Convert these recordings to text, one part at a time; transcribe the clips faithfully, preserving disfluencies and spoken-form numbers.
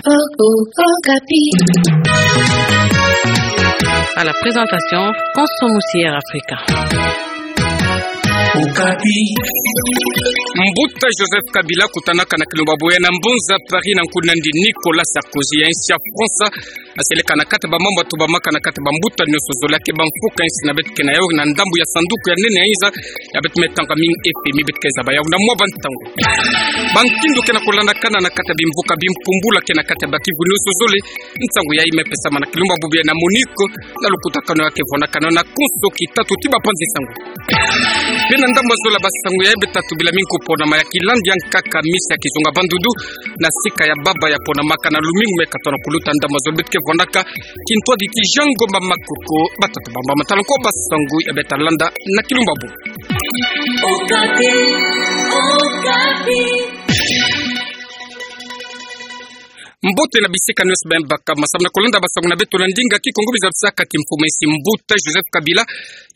O, o, Okapi. À la présentation, François Moussier Africa. Okapi. Mbuta Joseph Kabila kutanaka na kilumbabu ya na mbonza Paris na nkundi na yandi Nicolas Sarkozy ya insi ya France. Aseleka na kati ba mambu tubamaka na kati ba mbuta nioso zole ya ke ba mfuka insi na beto ke na yau na ndambu ya sanduku ya nene ya inza ya beto me tanga mingi F M I beto ke zaba yau na mwa ba ntangu. Ba nkindu ke na kulandakana na kati ya bimvuka bimpumbula ke na kati ya ba kivu nioso zole. Nsangu yayi me pesama na kilumbabu ya na MONUC na lukutakanu ya ke vwandakana na konso kitatu ti ba panzi nsangu. Mpe na ndambu ya zola ba nsangu yayi beto tubila mingi ku ponama ya kilandi ya nkaka misa ya kizunga bandudu na sika ya baba ya ponamaka na lumingu me katona kuluta. Ndambu ya zola beto ke vwandaka kintwadi ti Jean Ngomba Makoko, batata bamba matala nko ba nsangu ya beto landa na kilumbabu. Okapi, Okapi. Mbote na bisika nioso beno baka masamu na kulanda ba nsangu na beto na ndinga Kikongo. Bizabisaka ti mfumu ya insi mbuta Joseph Kabila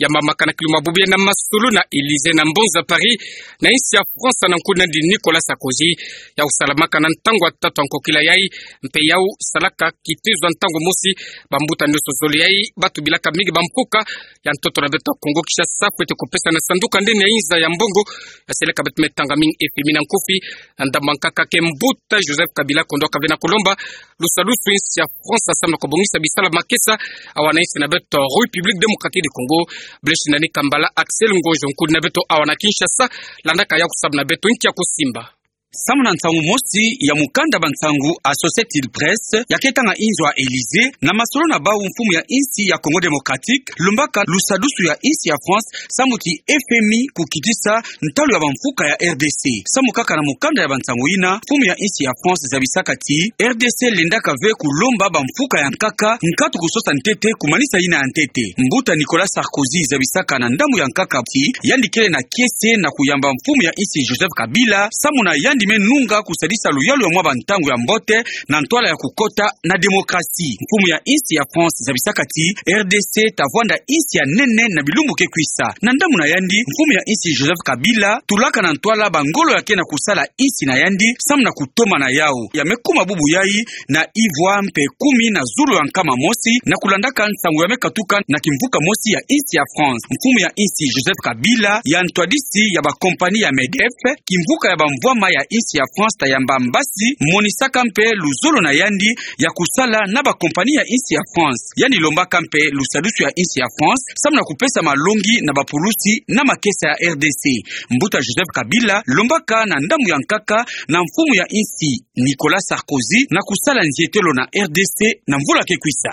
yamamaka na kilumbabu ya na masolo na Élysée na mbonza Paris na insi ya France na nkundi na yandi Nicolas Sarkozy. Yau salamaka na ntangu ya tatu ya nkokila yayi, mpe yau salaka kitezo ya ntangu mosi. Ba mbuta nioso zole yayi ba tubilaka mingi ba mfuka ya ntoto na beto ya Kongo Kinshasa fwete kupesa na sanduku ya nene ya inza ya mbongo. Aseleka beto me tanga mingi F M I na nkufi. Na ndambu ya nkaka ke mbuta Joseph Kabila kondwaka ve na kulomba lusadusu insi ya France samu na kubongisa bisalu ya makesa awa na insi na beto République Démocratique du Congo. Blaise Nani Kambala, Axel Ngonjo nkundi na beto awa na Kinshasa, landaka yau samu na beto nki ya kusimba. Samu na nsangu mosi ya mukanda ba nsangu Associated Press ya ke tanga inzo ya Élysée, na masolo na bau mfumu ya insi ya Congo Démocratique lombaka lusadusu ya insi ya France samu ti F M I kukitisa ntalu ya ba mfuka ya R D C. Samu kaka na mukanda ya ba nsangu yina, mfumu ya insi ya France zabisaka ti R D C lendaka ve kulomba ba mfuka ya nkaka nkatu kusosa ntete kumanisa yina ya ntete. Mbuta Nicolas Sarkozy zabisaka na ndambu ya nkaka ti yandi kele na kiese na kuyamba mfumu ya insi Joseph Kabila samu na yandi me nunga kusadisa luyalu ya mwa ba ntangu ya mbote na ntwala ya kukota na démocratie. Mfumu ya insi ya France zabisaka ti R D C ta vwanda insi ya nene na bilumbu ke kwisa. Na ndambu na yandi, mfumu ya insi Joseph Kabila tulaka na ntwala ba ngolo ya ke na kusala insi na yandi samu na kutoma na yau. Ya me kuma bubu yayi na ivwa mpe kumi na zulu ya nkama mosi na kulandaka nsangu ya me katuka na kimvuka mosi ya insi ya France. Mfumu ya insi Joseph Kabila ya ntwadisi ya ba compagnie ya MEDEF, kimvuka ya ba mvwama ya insi ya France ta yamba mbasi, monisaka mpe luzolo na yandi ya kusala na ba compagnie ya insi ya France. Yandi lombaka mpe lusadusu ya insi ya France samu na kupesa malongi na ba pulusi na makesa ya R D C. Mbuta Joseph Kabila lombaka na ndambu ya nkaka na mfumu ya insi Nicolas Sarkozy na kusala nzietelo na R D C na mvula ke kwisa.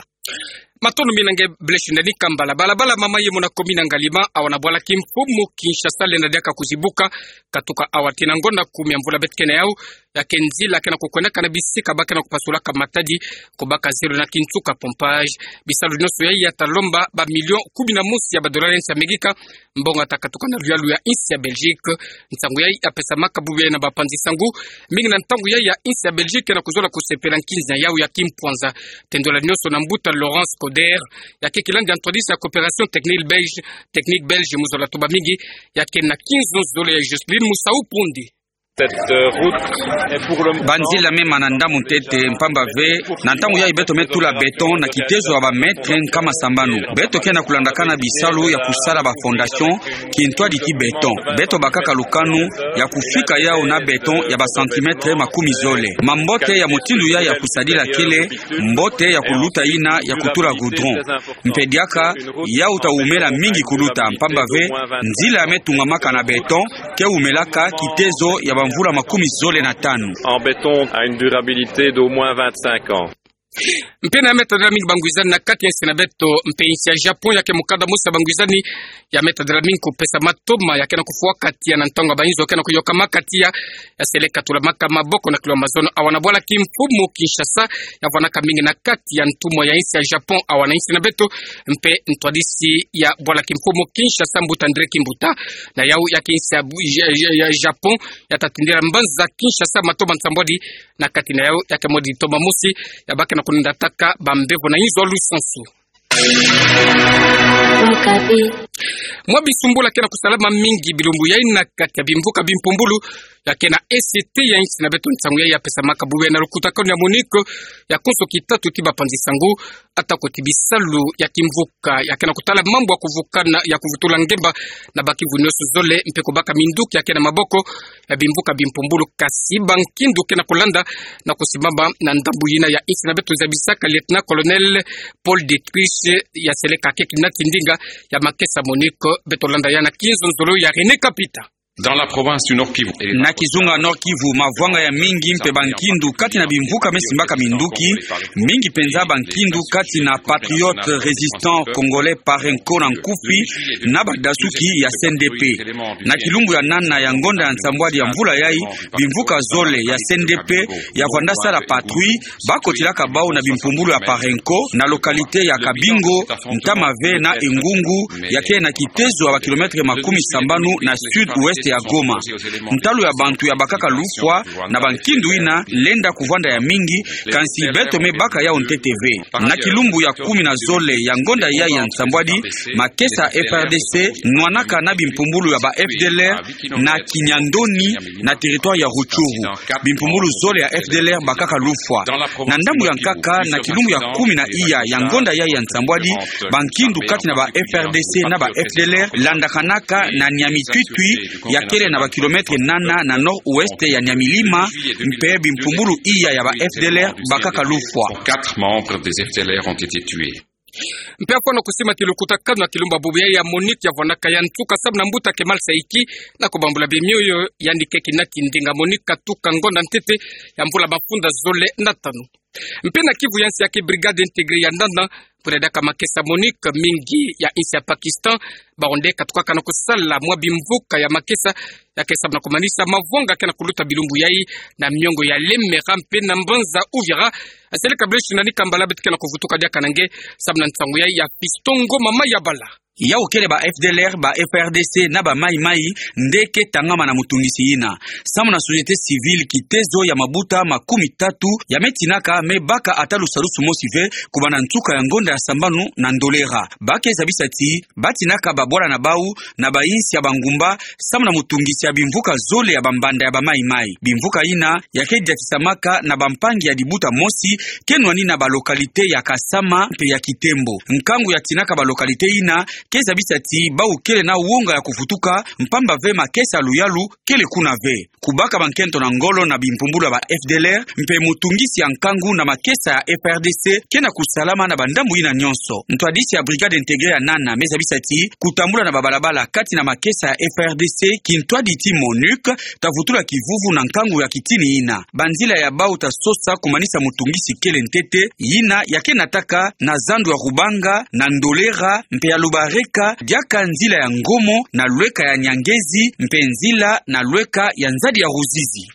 Matondo mingi na nge Blaise Nani Kambala. Balabala mama yemo na commune na Ngaliema awa na bwala kimfumu Kinshasa lenda diaka kuzibuka katuka awa tii na ngonda kumi ya mvula beto ke na yau. Ya ke nzila ke na kukwendaka na bisika ba ke na kupasulaka matadi, kubaka zelo na kinsuka pompage. Bisalu nioso yayi ya ta lomba ba million kumi na mosi ya ba dollars ya insi ya Amerika, mbongo ya ta katuka na luyalu ya insi ya Belgique. Nsangu yayi ya pesamaka bubu yayi na ba panzi nsangu mingi na ntangu yayi ya insi ya Belgique na kuzola kusepela nkinzi na yau ya kimpwanza. Tendwela nioso na mbuta Laurence Coder, ya ke kilandi ya ntwadisi ya Coopération Technique Belge, Technique Belge mu zola tuba mingi, ya ke na kinzo zole ya Jocelyne Musau Pondi. Cette, euh, route est pour le moment... Ba nzila mema na ndambu ntete mpamba ve na ntangu yayi beto me tula béton na kitezo ya ba mètre nkama sambanu. Beto ke na kulandakana bisalu ya kusala ba fondation, kintwadi ti béton. Beto bakaka lukanu ya kufika yau na béton ya ba centimètre makumi zole. Mambote ya mutindu yayi ya kusadila kele mbote ya kuluta yina ya kutula goudron. Mpe diaka, yau ta wumela mingi kuluta, mpamba ve nzila ya me tungamaka na béton ke wumelaka kitezo ya ba mvula makumi zole na tanu. En béton a une durabilité d'au moins vingt-cinq ans. Mpe na meta dala mingi bangwizani na kati ya insi na beto mpe insi ya Japon, ya ke mukanda mosi ya bangwizani ya meta dala mingi kupesa matoma ya ke na kufwaka tiya na ntangu ya ba inzo ke na kuyokama ka tiya. Ya seleka tulamaka maboko na kilwa mazono awa na bwala kimfumu Kinshasa, ya vwanaka mingi na kati ya ntumwa ya insi ya Japon awa na insi na beto, mpe ntwadisi ya bwala kimfumu Kinshasa, mbuta André Kimbuta. Na yau ya ke insi ya bu-, ya, ya, ya Japon ya ta tindila mbanza Kinshasa matoma nsambwadi, na kati na yau ya ke modi toma mosi ya ba ke na kunindataka ba mbevo na inzo lusansu. Okapi. Mwa bisumbulu ya ke na kusalama mingi bilumbu yai na kati ya bimvuka bimpumbulu ya ke na Est ya insi na beto. Nsangu yai ya pesamaka bubu yai na lukutakanu ya MONUC ya konso kitatu ti bapanzi sangu, atako ti bisalu ya kimvuka ya ke na kutala mambu ya kuvukana, ya kuvutula ngemba na ba Kivu nioso zole, mpe kubaka minduki ya ke na maboko ya bimvuka bimpumbulu. Kasi bankindu ke na kulanda na kusimama na ndambu yina ya insi na beto, zabisaka Lieutenant-colonel Paul Dietrich, ya seleka ke kina kindinga ya makesa MONUC. Beto landa yai na kinzonzolo ya René Kapita. Dans la province du Nord-Kivu. Na kizunga Nord-Kivu, mavwanga ya mingi mpe bankindu kati na bimvuka me simbaka minduki, mingi mpenza bankindu kati na Patriote Resistant Congolais, PARENCO na nkufi, na badasuki ya C N D P. Na kilumbu ya nana ya ngonda ya nsambwadi ya mvula yai, bimvuka zole ya C N D P ya vwanda sala patrouille, ba kotilaka bau na bimpumbulu ya PARENCO na localité ya Kabingo, ntama ve na Engungu, ya ke na kitezo ya ba kilomètre makumi sambanu na sud-ouest ya Goma. Ntalu ya bantu ya bakaka lufwa na bankindu yina lenda kuvwanda ya mingi, kansi beto me baka yau ntete ve. Na kilumbu ya kumi na zole ya ngonda yai ya nsambwadi, makesa F R D C nwanaka na bimpumbulu ya ba F D L R na Kinyandoni, na territoire ya Rutshuru. Bimpumbulu zole ya F D L R bakaka lufwa. Na ndambu ya nkaka, na kilumbu ya kumi na iya ya ngonda yai ya nsambwadi, bankindu kati na ba F R D C na ba F D L R landakanaka na Niamey-Tuitui, ya kele na ba kilomètre nana na nord-ouest ya Niamey-Lima, mpe bimpumbulu iya ya ba F D L R bakaka lufwa. Quatre membres des F D L R ont été tués. Mpe ako na kusima ti lukutakanu ya kilumbu ya bubu yai ya MONUC ya vwanaka ya nsuka samu na mbuta Kemal Saïki na kubambula bemioyo, yandi ke kina kindinga MONUC katuka ngonda ntete ya mvula mafunda zole na tanu. Mpe na Kivu ya nsi ya ke, brigade intégrée ya nana, kuna diaka makesa MONUC, mingi ya insi ya Pakistan bawu nde katukaka na kusala mwa bimvuka ya makesa ya ke samu na kumanisa mavwanga ke na kuluta bilumbu yai na miongo ya Lemera mpe na mbanza Uvira. Asele kableshi na nikambala beto ke na kuvutuka diaka na nge samu na nsangu yai ya Fiston Ngoma Mayabala. Yau kele ba F D L R, ba F R D C na ba Maï-Maï nde ke tangama na mutungisi yina. Samu na société civile, kitezo ya mabuta makumi tatu ya me tinaka me baka ata lusalusu mosi ve kubanda nsuka ya ngonda ya sambanu na Ndolera. Ba ke zabisa ti ba tinaka babwala na bau na ba insi ya bangumba samu na mutungisi ya bimvuka zole ya bambanda ya ba Maï-Maï. Bimvuka yina ya ke diatisamaka na bampangi ya dibuta mosi ke nwani na ba localité ya Kasama mpe ya Kitembo. Nkangu ya tinaka ba localité yina ke zabisa ti bau kele na wonga ya kuvutuka, mpamba ve makesa luyalu kele kuna ve. Kubaka bankento na ngolo na bimpumbulu ya ba F D L R mpe mutungisi ya nkangu na makesa ya F R D C ke na kusalama na bandambu yina nionso. Ntwadisi ya brigade intégrée ya nana me zabisa ti kutambula na babalabala kati na makesa ya F R D C, kintwadi ti MONUC ta vutula kivuvu na nkangu ya kitini yina. Banzila ya bau ta sosa kumanisa mutungisi kele ntete, yina ya ke nataka na zandu ya Rubanga, na Ndolera mpe ya Lubareka, diaka nzila ya Ngomo na lweka ya Nyangezi mpe nzila na lweka ya nzadi ya Ruzizi.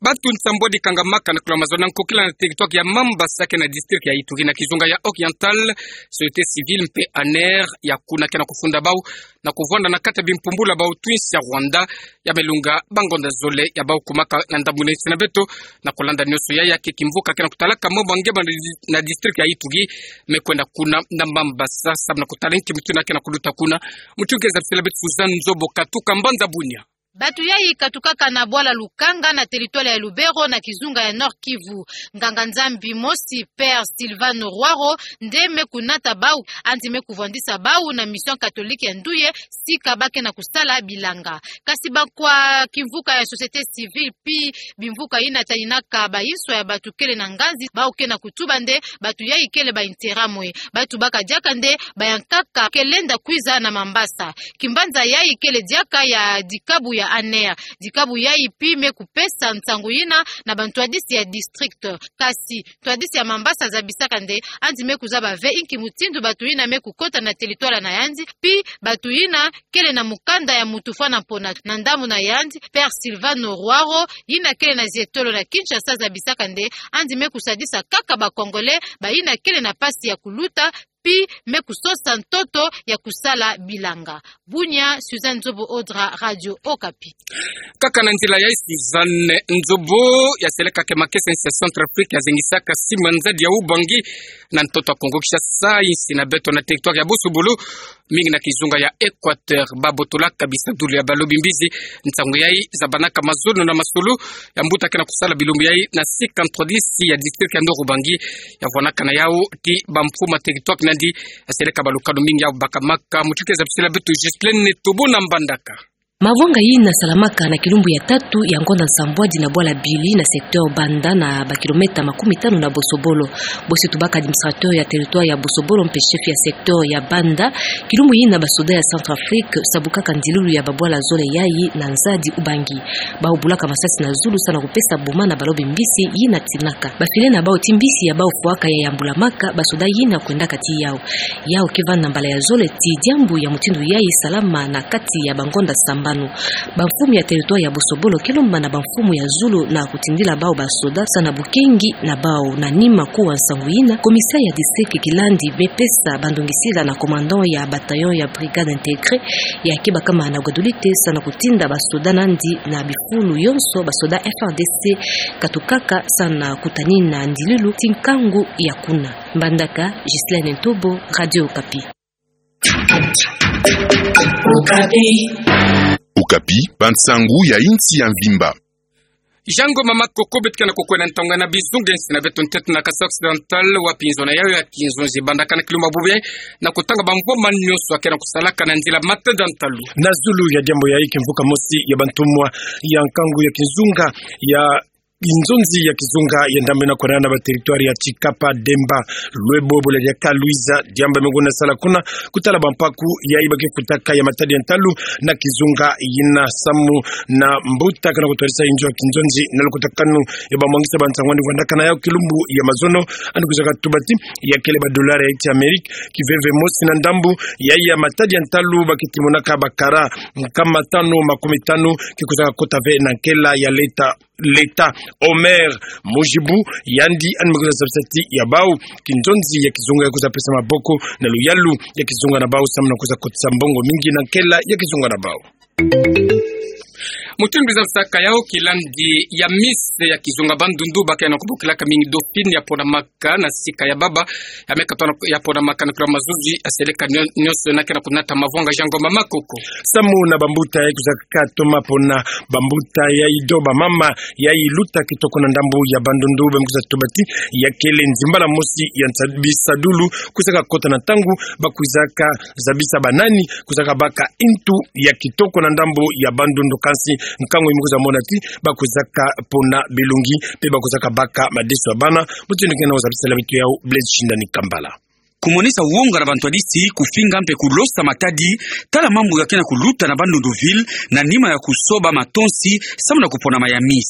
Bantu nsambwadi kangamaka na kula mazono ya nkokila na territoire ya Mambasa ke na district ya Ituri na kizunga ya Oriental, société civile mpe ANR ya kuna ke na kufunda bau na kuvwanda na kati ya bimpumbulu ya bau twins ya Rwanda ya me lunga bangonda zole ya bau kumaka na ndambu na insi na beto. Na kulanda nionso yai, ya ke kimvuka ke na kutalaka mambu ya ngemba na dis-, na district ya Ituri me kwenda kuna na Mambasa samu na kutala nki mutindu ke na kuluta kuna. Mutindu ke zabisila beto Suzanne Nzobo katuka mbanza Bunia. Bantu yai katukaka na bwala Lukanga na territoire ya Lubero na kizunga ya Nord-Kivu. Nganga-Nzambi mosi, Père Silvano Rwaro, nde me kunata bau, yandi me kuvwandisa bau na mission catholique ya Nduye, sika ba ke na kusala bilanga. Kasi bakwa kimvuka ya société civile, pi bimvuka yina taninaka bayinswa ya bantu kele na nganzi, bau ke na kutuba nde bantu yai kele ba intérêt mwe. Bantu baka diaka nde bayankaka ke lenda kwiza na Mambasa. Kimbanza yai kele diaka ya dikabu ya ANR. Dikabu yai pi me kupesa nsangu yina na bantwadisi ya district. Kasi ntwadisi ya Mambasa zabisaka nde yandi me kuzaba ve inki mutindu bantu yina me kukota na territoire na yandi, pi bantu yina kele na mukanda ya mutu fwana mpona. Na ndambu na yandi, Père Silvano Rwaro, yina kele na zietolo na Kinshasa, zabisaka nde yandi me kusadisa kaka ba Congolais bayina kele na mpasi ya kuluta, mpi me kusosa ntoto ya kusala bilanga. Bunia, Suzanne Nzobo Odra, Radio Okapi. Kaka na nzila yayi Suzanne Nzobo, yaseleka ke makesa nsi ya Centrafrique yazengisaka sima nzadi ya ubangi na ntoto ya Kongo Kinshasa, insi na beto na territoire ya Bosobolo, mingi na kizunga ya Equateur, babotolaka bisadulu ya balobi mbizi. Nsangu yayi zabanaka mazono na masolo ya mbuta ke na kusala bilumbu yayi na cinquante-trois dix ya district ya Nord-Ubangi, yavwanaka na yawu ti bamfumu ya territoire nandi, yaseleka balukanu mingi ya bakamaka. Mutuke zabisila beto Ghislaine Netobo na Mbandaka. Mavwanga yina salamaka na kilumbu ya tatu ya ngonda nsambwadi na bwala bili na secteur Banda, na bakilometa makumi tanu na Bosobolo. Bosi tubaka administrateur ya territoire ya Bosobolo mpe chef ya secteur ya Banda, kilumbu yina basoda ya Centrafrique sabukaka ndilulu ya babwala zole yayi na nzadi ubangi. Bawu bulaka masasi na zulu sa na kupesa boma na balobi mbisi yina tinaka. Bafile na bawu ti mbisi ya bawu fwaka ya yambulamaka basoda yina kwendaka ti yawu. Yawu ke vanda mbala ya zole ti diambu ya mutindu yayi salama na kati ya bangonda sambanu. Bamfumu ya territoire ya Bosobolo ke lomba na bamfumu ya zulu na kutindila bawu basoda sa na bukengi na bawu. Na nima kuwa nsangu yina, commissaire ya district Kilandi me pesa bandongisila na commandant ya bataillon ya brigade intégrée ya ke bakama na Guadolite sa na kutinda basoda nandi na bifulu yonso basoda F A R D C katukaka sa na kutanina ndilulu ti nkangu ya kuna. Mbandaka, Ghislaine Ntobo, Radio Okapi. Okapi, bansangu ya insi ya mvimba. Jean Ngoma Makoko, beto ke na kukwenda ntangu na bizunga nsi na beto ntete na Kasai Occidental, wapi nzo na yawu ya kinzonzi ebandaka na kilumbu ya bubiri, na kutanga bamvwama nyonso ya ke na kusalaka na nzila matanda ntalu. Na zulu ya diambu yayi, kimvuka mosi ya bantumwa ya nkangu ya kizunga ya kinzonzi ya kizunga ya ndambu ina kwenda na ba territoire ya Tshikapa, Demba, Luebo, Boleria, Kaluiza, diambu me kuna sala kuna, kutala bampaku yayi ba ke kutaka ya matadi ya ntalu na kizunga yina, samu na mbuta ke na kutwadisa inzo ya kinzonzi na lukutakanu ya bamwangisa bansangu andi kwendaka na yawu kilumbu ya mazono, andi kwizaka tuba ti ya kele ba dollar ya insi ya Amerika kiveve mosi na ndambu yayi ya matadi ya ntalu, ba ke timonaka ba kara nkama tanu makumi tanu, ke kwizaka kota ve na nkela ya leta. Leta. Omer Mujibu, yandi andi me kwiza zabisa ti ya bawu, kinzonzi ya kizunga ya kwiza pesa maboko na luyalu ya kizunga na bawu, samu na kwiza kotisa mbongo mingi na nkela ya kizunga na bawu. Mutindu zabisaka yawu, kilandi ya Miss ya kizunga Bandundu, ba ke na kubokelaka mingi Dauphine, ya ponamaka na sika ya baba, ya me katona ya ponamaka na kilo mazuzi, yaseleka nyo-, nyonso na ke na kunata mavwanga. Jean Ngoma Makoko. Samu na bambuta yayi kwizaka toma pona, bambuta yayi to bamama yayi luta kitoko na ndambu ya Bandundu, ba me kwiza tuba ti ya kele nzimbala mosi ya nsa-, bisadulu kwizaka kota na ntangu ba kwizaka zabisa banani kwizaka baka intu ya kitoko na ndambu ya Bandundu, kansi nkangu yi me kwiza mona ti ba kwizaka pona bilongi, mpe ba kwizaka baka madeso ya bana. Mutindu ke na kuzabisela beto yawu, Blaise Shindani Kambala. Kumonisa wonga na bantwadisi, kufinga mpe kulosa matadi, tala mambu ya ke na kuluta na Bandunduville, na nima ya kusoba matonsi, samu na kuponama ya Miss.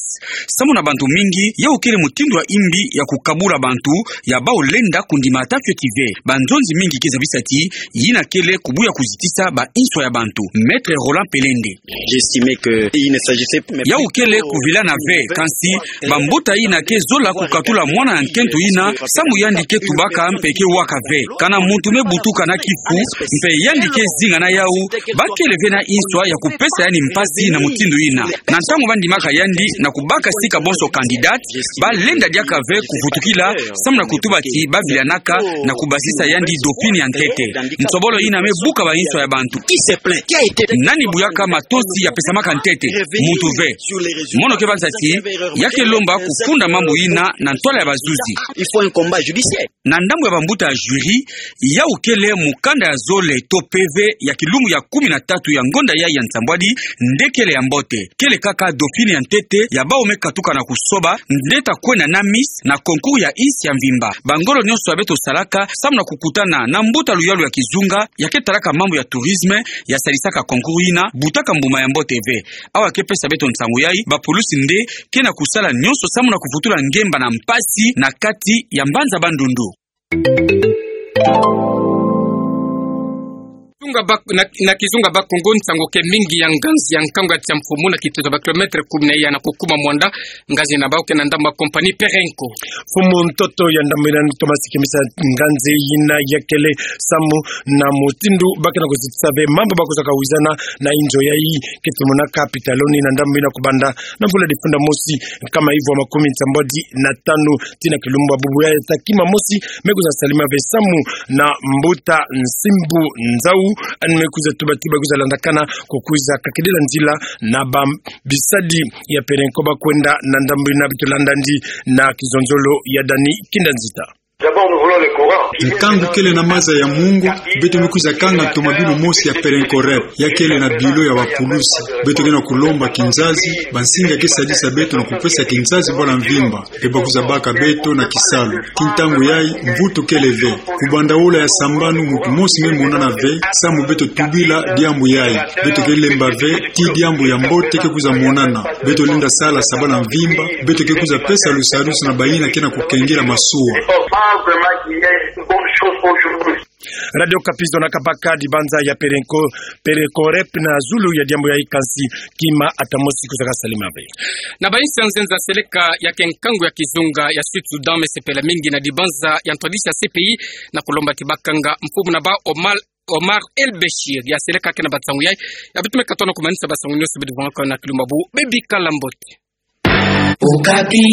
Samu na bantu mingi, yawu kele mutindu ya imbi ya kukabula bantu, ya bawu lenda kundima ata kioti ve. Banzonzi mingi ke zabisa ti yina kele kubuya kuzitisa ba inswa ya bantu. Maître Roland Pelende. J'estimais que il ne s'agissait même Yawu kele kuvilana ve, kansi bambuta yina ke zola kukatula mwana ya nkento yina, samu yandi ke tubaka mpe ke waka ve. Kana muntu me butuka na kifu, mpe yandi ke zinga na yawu, ba kele ve na inswa ya kupesa yandi mpasi na mutindu yina. Na ntangu ba ndimaka yandi na kubaka sika bonso candidate, ba lenda diaka ve kuvutukila, samu na kutuba ti ba vilanaka na kubasisa yandi Dauphine ya ntete. Nsobolo yina me buka ba inswa ya bantu. Nani buyaka matonsi ya pesamaka ntete? Muntu ve. Mono ke banza ti ya ke lomba kufunda mambu yina na ntwala ya bazuzi. Na ndambu ya bambuta ya jury, yawu kele mukanda ya zole to P V ya kilumbu ya kumi na tatu ya ngonda yayi ya nsambwadi, nde kele ya mbote. Kele kaka Dauphine ya ntete ya bawu me katuka na kusoba nde ta kwenda na Miss na concours ya insi ya mvimba. Bangolo nyonso ya beto salaka samu na kukutana na mbuta luyalu ya kizunga ya ke talaka mambu ya tourisme, ya salisaka concours yina, butaka mbuma ya mbote ve. Awa ke pesa beto nsangu yayi, bapulusi nde ke na kusala nyonso samu na kuvutula ngemba na mpasi na kati ya mbanza Bandundu. Kizunga Bak-, na, na Kizunga Bakongo, nsangu ke mingi ya nganzi ya nkangu ya tiamfumu na kitutu ba kilomètre kumi na iya na kukuma mwanda, nganzi na bau ke na ndambu ya compagnie Perenco. Mfumu ntoto ya ndambu ina Thomas Kimisa, nganzi ina ya kele samu na mutindu ba ke na kuzitisa ve mambu ba kwiza kawizana na inzo yayi, ke tumona capitaloni na ndambu ina kubanda na mvula difunda mosi, nkama ivu wa makumi nsambwadi na tanu, tii na kilumbu ya bubu yayi, ta kima mosi me kwiza salima ve samu na mbuta Nsimbu Nzau, ani me kwiza tuba ti ba kwiza landakana ko kwiza kakidila nzila na ba bisadi ya Perenco ba kwenda na ndambu ina. Beto landa ndi na kizonzolo ya Dani Kinda Nzita. D'abord, nous voulons le courant. Nkangu kele na maza ya mungu, beto me kwiza kanga ntomabilu mosi ya Perenco Rep, ya kele na bilo ya bapulusi. Beto ke na kulomba kinzazi, bansinga ke sadisa beto na kupesa kinzazi bwala mvimba, mpe ba kwiza baka beto na kisalu. Tii ntangu yayi, mvutu kele ve. Kubanda wola ya sambanu, muntu mosi me monana ve samu beto tubila diambu yayi. Beto ke lemba ve ti diambu ya mbote ke kwiza monana. Beto lenda sala sa bwala mvimba, beto ke kwiza pesa lusadusu na bayina ke na kukengela masuwa. Faut pas vraiment qu'il y ait une bonne chose aujourd'hui. Radio Okapi, zonaka baka dibanza ya Perenco, Perenco Rep na zulu ya diambu yayi, kansi kima ata mosi kwiza kasalima ve. Na bayinsi ya nzenza, seleka ya ke nkangu ya kizunga ya Sud Soudan me sepela mingi na dibanza ya ntwadisi ya C P I na kulomba ti ba kanga mfumu na bau Omar, Omar El Bechir. Ya seleka ke na bansangu yayi, ya beto me katuka na kumanisa bansangu nyonso, beto vwangaka na kilumbu ya bubu. Bebika Lambot. Okapi.